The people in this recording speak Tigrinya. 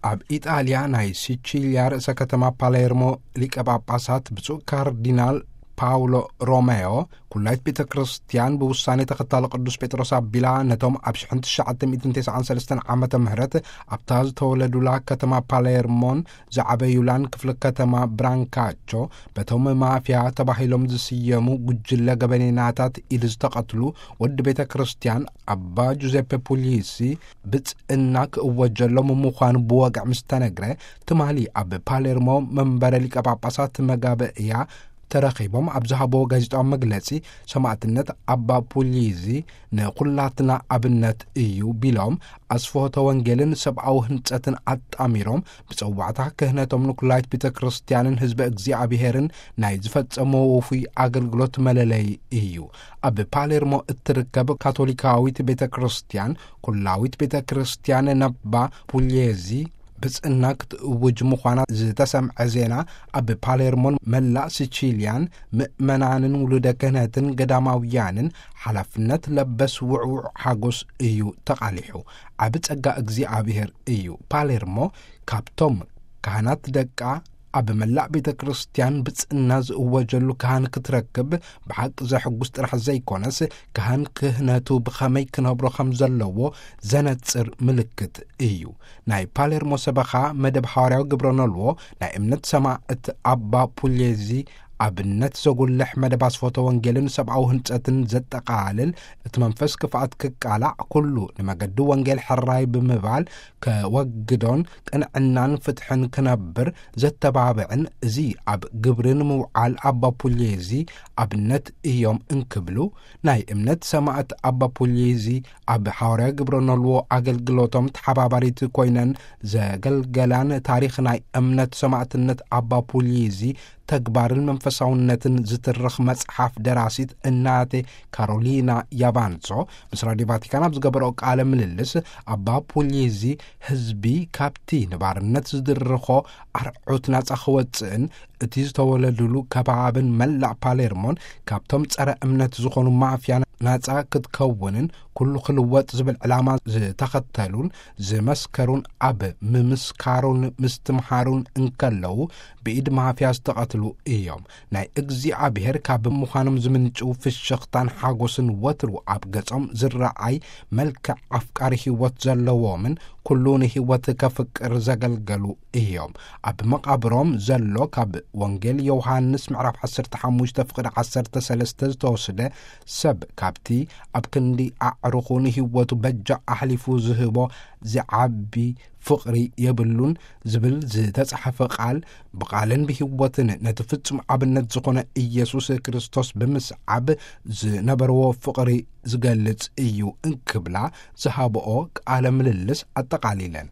ኣብ ኢጣልያ ናይ ሲቺልያ ርእሰ ከተማ ፓሌርሞ ሊቀ ጳጳሳት ብፁዕ ካርዲናል ፓውሎ ሮሜዮ፣ ኩላይት ቤተ ክርስቲያን ብውሳኔ ተኸታሊ ቅዱስ ጴጥሮስ ኣቢላ፣ ነቶም ኣብ ሽሕን ትሽዓተ ሚእትን ተስዓን ሰለስተን ዓመተ ምህረት ኣብታ ዝተወለዱላ ከተማ ፓሌርሞን ዝዓበዩላን ክፍለ ከተማ ብራንካቾ፣ በቶም ማፍያ ተባሂሎም ዝስየሙ ጉጅለ ገበኔናታት ኢድ ዝተቐትሉ ወዲ ቤተ ክርስቲያን ኣባ ጁዜፔ ፑሊሲ ብጽእና ክእወጀሎም ምዃኑ ብወግዒ ምስ ተነግረ፣ ትማሊ ኣብ ፓሌርሞ መንበረ ሊቀ ጳጳሳት መጋበእያ ተረኺቦም ኣብ ዝሃብዎ ጋዜጣዊ መግለጺ፣ ሰማዕትነት ኣባ ፑሊዚ ንኹላትና ኣብነት እዩ ቢሎም፣ ኣስፍሆተ ወንጌልን ሰብኣዊ ህንጸትን ኣጣሚሮም፣ ብጸዋዕታ ክህነቶም ንኩላይት ቤተ ክርስቲያንን ህዝበ እግዚኣብሔርን ናይ ዝፈጸምዎ ውፉይ ኣገልግሎት መለለዪ እዩ። ኣብ ፓሌርሞ እትርከብ ካቶሊካዊት ቤተ ክርስቲያን፣ ኩላዊት ቤተ ክርስቲያን ነባ ፑሊዚ ብጽእና ክትእውጅ ምዃና ዝተሰምዐ ዜና፣ ኣብ ፓሌርሞን መላእ ሲቺልያን ምእመናንን ውሉደ ክህነትን ገዳማውያንን ሓላፍነት ለበስ ውዕውዕ ሓጎስ እዩ ተቓሊሑ። ዓቢ ጸጋ እግዚኣብሔር እዩ። ፓሌርሞ ካብቶም ካህናት ደቃ ኣብ መላእ ቤተ ክርስቲያን ብጽእና ዝእወጀሉ ካህን ክትረክብ ብሓቂ ዘሕጉስ ጥራሕ ዘይኮነስ፣ ካህን ክህነቱ ብኸመይ ክነብሮ ከም ዘለዎ ዘነጽር ምልክት እዩ። ናይ ፓሌርሞ ሰበኻ መደብ ሓዋርያዊ ግብረ ነልዎ ናይ እምነት ሰማዕት ኣባ ፑሌዚ ኣብነት ዘጉልሕ መደብ ኣስፎተ ወንጌልን ሰብኣዊ ህንጸትን ዘጠቓልል፣ እቲ መንፈስ ክፍኣት ክቃላዕ፣ ኩሉ ንመገዲ ወንጌል ሕራይ ብምባል ከወግዶን ቅንዕናን ፍትሕን ክነብር ዘተባብዕን፣ እዚ ኣብ ግብሪ ንምውዓል ኣባ ፑሌዚ ኣብነት እዮም እንክብሉ፣ ናይ እምነት ሰማዕት ኣባ ፑሊዚ ኣብ ሓዋርያዊ ግብረ ነልዎ ኣገልግሎቶም ተሓባባሪት ኮይነን ዘገልገላን፣ ታሪኽ ናይ እምነት ሰማዕትነት ኣባ ፑሊዚ ተግባርን መንፈሳውነትን ዝትርኽ መጽሓፍ ደራሲት እናቴ ካሮሊና ያባንሶ ምስ ራድዮ ቫቲካን ኣብ ዝገበረኦ ቃለ ምልልስ፣ ኣባ ፑሊዚ ህዝቢ ካብቲ ንባርነት ዝድርኾ ኣርዑት ናጻ ክወጽእን እቲ ዝተወለዱሉ ከባብን መላእ ፓሌርሞን ካብቶም ጸረ እምነት ዝኾኑ ማፍያ ናጻ ክትከውንን ኩሉ ክልወጥ ዝብል ዕላማ ዝተኸተሉን ዝመስከሩን፣ ኣብ ምምስካሩን ምስትምሃሩን እንከለዉ ብኢድ ማፍያ ዝተቐትሉ እዮም። ናይ እግዚኣብሔር ካብ ምዃኖም ዝምንጭው ፍሽኽታን ሓጎስን ወትሩ ኣብ ገጾም ዝረኣይ፣ መልክዕ ኣፍቃሪ ህይወት ዘለዎምን ኩሉ ንህይወት ከፍቅር ዘገልገሉ እዮም። ኣብ መቓብሮም ዘሎ ካብ ወንጌል ዮሃንስ ምዕራፍ ዓሰርተ ሓሙሽተ ፍቕዲ ዓሰርተ ሰለስተ ዝተወስደ፣ ሰብ ካብቲ ኣብ ክንዲ ኣዕሩኹ ንህይወቱ በጃ ኣሕሊፉ ዝህቦ ዝዓቢ ፍቕሪ የብሉን ዝብል ዝተጻሕፈ ቃል፣ ብቓልን ብህይወትን ነቲ ፍጹም ኣብነት ዝኾነ ኢየሱስ ክርስቶስ ብምስዓብ ዝነበርዎ ፍቕሪ ዝገልጽ እዩ እንክብላ ዝሃብኦ ቃለ ምልልስ ኣጠቓሊለን።